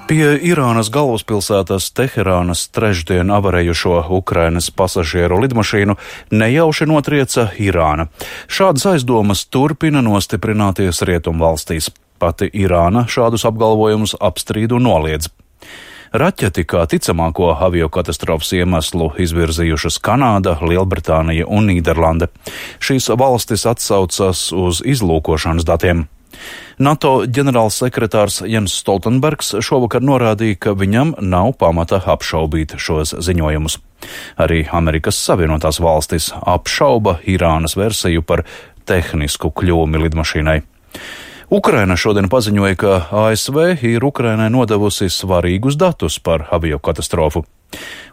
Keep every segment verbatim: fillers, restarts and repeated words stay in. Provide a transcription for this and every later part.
Pie Irānas galvaspilsētas Teherānas trešdien avarējušo Ukrainas pasažieru lidmašīnu nejauši notrieca Irāna. Šādas aizdomas turpina nostiprināties rietumvalstīs. Pati Irāna šādus apgalvojumus apstrīd un noliedz. Raķeti kā ticamāko aviokatastrofas iemeslu izvirzījušas Kanāda, Lielbritānija un Nīderlande. Šīs valstis atsaucas uz izlūkošanas datiem. NATO ģenerālsekretārs Jens Stoltenbergs šovakar norādīja, ka viņam nav pamata apšaubīt šos ziņojumus. Arī Amerikas Savienotās valstis apšauba Irānas versiju par tehnisku kļūmi lidmašīnai. Ukraina šodien paziņoja, ka A S V ir Ukrainai nodevusi svarīgus datus par aviokatastrofu.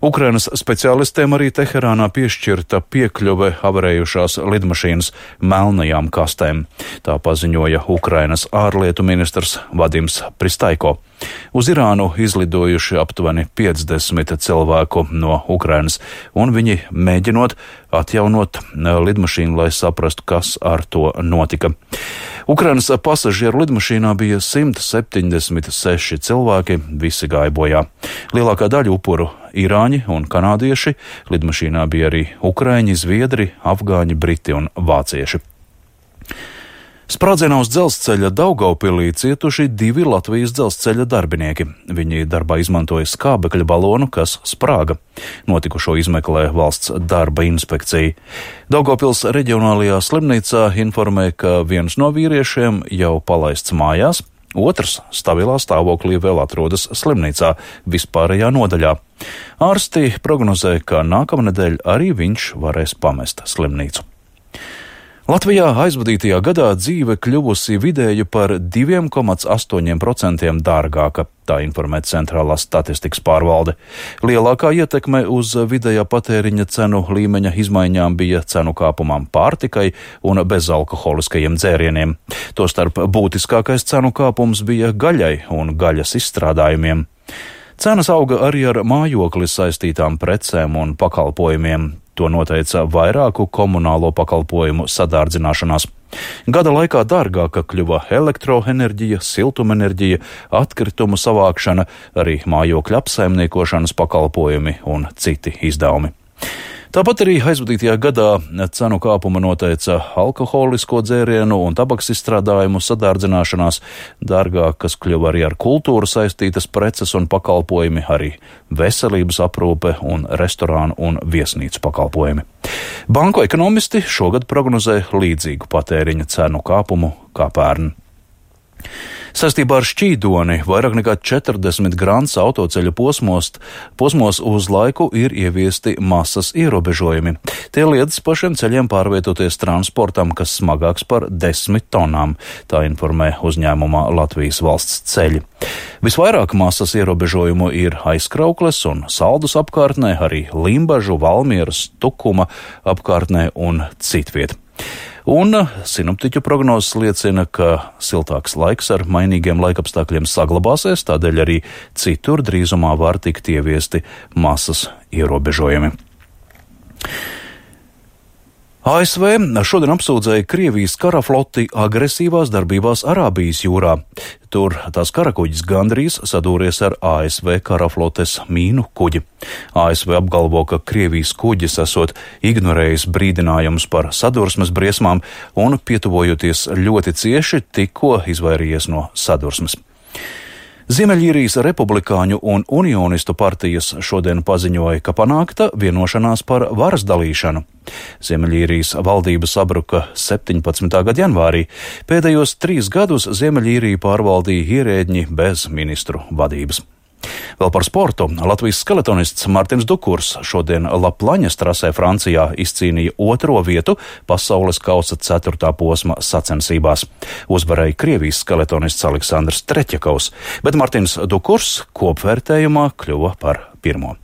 Ukrainas speciālistiem arī Teherānā piešķirta piekļuve avarējušās lidmašīnas melnajām kastēm. Tā paziņoja Ukrainas ārlietu ministrs Vadims Pristaiko. Uz Irānu izlidojuši aptuveni piecdesmit cilvēku no Ukrainas, un viņi mēģinot atjaunot lidmašīnu, lai saprastu, kas ar to notika. Ukrainas pasažieru lidmašīnā bija simt septiņdesmit seši cilvēki, visi gāja bojā. Lielākā daļa upuru irāņi un kanādieši, lidmašīnā bija arī ukraiņi, zviedri, afgāņi, briti un vācieši. Sprādzienā uz dzelzceļa Daugavpilī cietuši divi Latvijas dzelzceļa darbinieki. Viņi darbā izmantoja skābekļa balonu, kas sprāga. Notikušo izmeklē valsts darba inspekcija. Daugavpils reģionālajā slimnīcā informē, ka viens no vīriešiem jau palaists mājās, otrs stabilā stāvoklī vēl atrodas slimnīcā vispārējā nodaļā. Ārsti prognozē, ka nākamnedēļ arī viņš varēs pamest slimnīcu. Latvijā aizvadītajā gadā dzīve kļuvusi vidēji par divi komā astoņi procenti dārgāka, tā informē Centrālā statistikas pārvalde. Lielākā ietekme uz vidējā patēriņa cenu līmeņa izmaiņām bija cenu kāpumam pārtikai un bezalkoholiskajiem dzērieniem. Tostarp būtiskākais cenu kāpums bija gaļai un gaļas izstrādājumiem. Cenas auga arī ar mājokli saistītām precēm un pakalpojumiem. To noteica vairāku komunālo pakalpojumu sadārdzināšanās. Gada laikā dārgāka kļuva elektroenerģija, siltumenerģija, atkritumu savākšana, arī mājokļa apsaimniekošanas pakalpojumi un citi izdevumi. Tāpat arī aizvadītajā gadā cenu kāpuma noteica alkoholisko dzērienu un tabaks izstrādājumu sadārdzināšanās, dārgākas kļuva arī ar kultūru saistītas preces un pakalpojumi, arī veselības aprūpe un restorānu un viesnīcu pakalpojumi. Banku ekonomisti šogad prognozē līdzīgu patēriņa cenu kāpumu kā pērn. Saistībā ar šķīdoni vairāk nekā četrdesmit grants autoceļu posmos, posmos uz laiku ir ieviesti masas ierobežojumi. Tie liedz pašiem ceļiem pārvietoties transportam, kas smagāks par desmit tonām, tā informē uzņēmumā Latvijas valsts ceļi. Visvairāk masas ierobežojumu ir Aizkraukles un Saldus apkārtnē, arī Limbažu, Valmieras, Tukuma apkārtnē un citviet. Un sinoptiķu prognozes liecina, ka siltāks laiks ar mainīgiem laikapstākļiem saglabāsies, tādēļ arī citur drīzumā var tikt ieviesti masas ierobežojumi. A S V šodien apsūdzēja Krievijas karafloti agresīvās darbībās Arābijas jūrā. Tur tās karakuģis gandrīz sadūries ar A S V karaflotes mīnu kuģi. A S V apgalvo, ka Krievijas kuģis esot ignorējis brīdinājumus par sadursmes briesmām un, pietuvojoties ļoti cieši, tikko izvairījies no sadursmes. Ziemeļīrijas republikāņu un unionistu partijas šodien paziņoja, ka panākta vienošanās par varas dalīšanu. Ziemeļīrijas valdība sabruka septiņpadsmitā gada janvārī. Pēdējos trīs gadus Ziemeļīriju pārvaldīja ierēdņi bez ministru vadības. Vēl par sportu. Latvijas skeletonists Martins Dukurs šodien Laplaņas trasē Francijā izcīnīja otro vietu pasaules kausa ceturtā posma sacensībās. Uzvarēja Krievijas skeletonists Aleksandrs Treķakovs, bet Martins Dukurs kopvērtējumā kļuva par pirmo.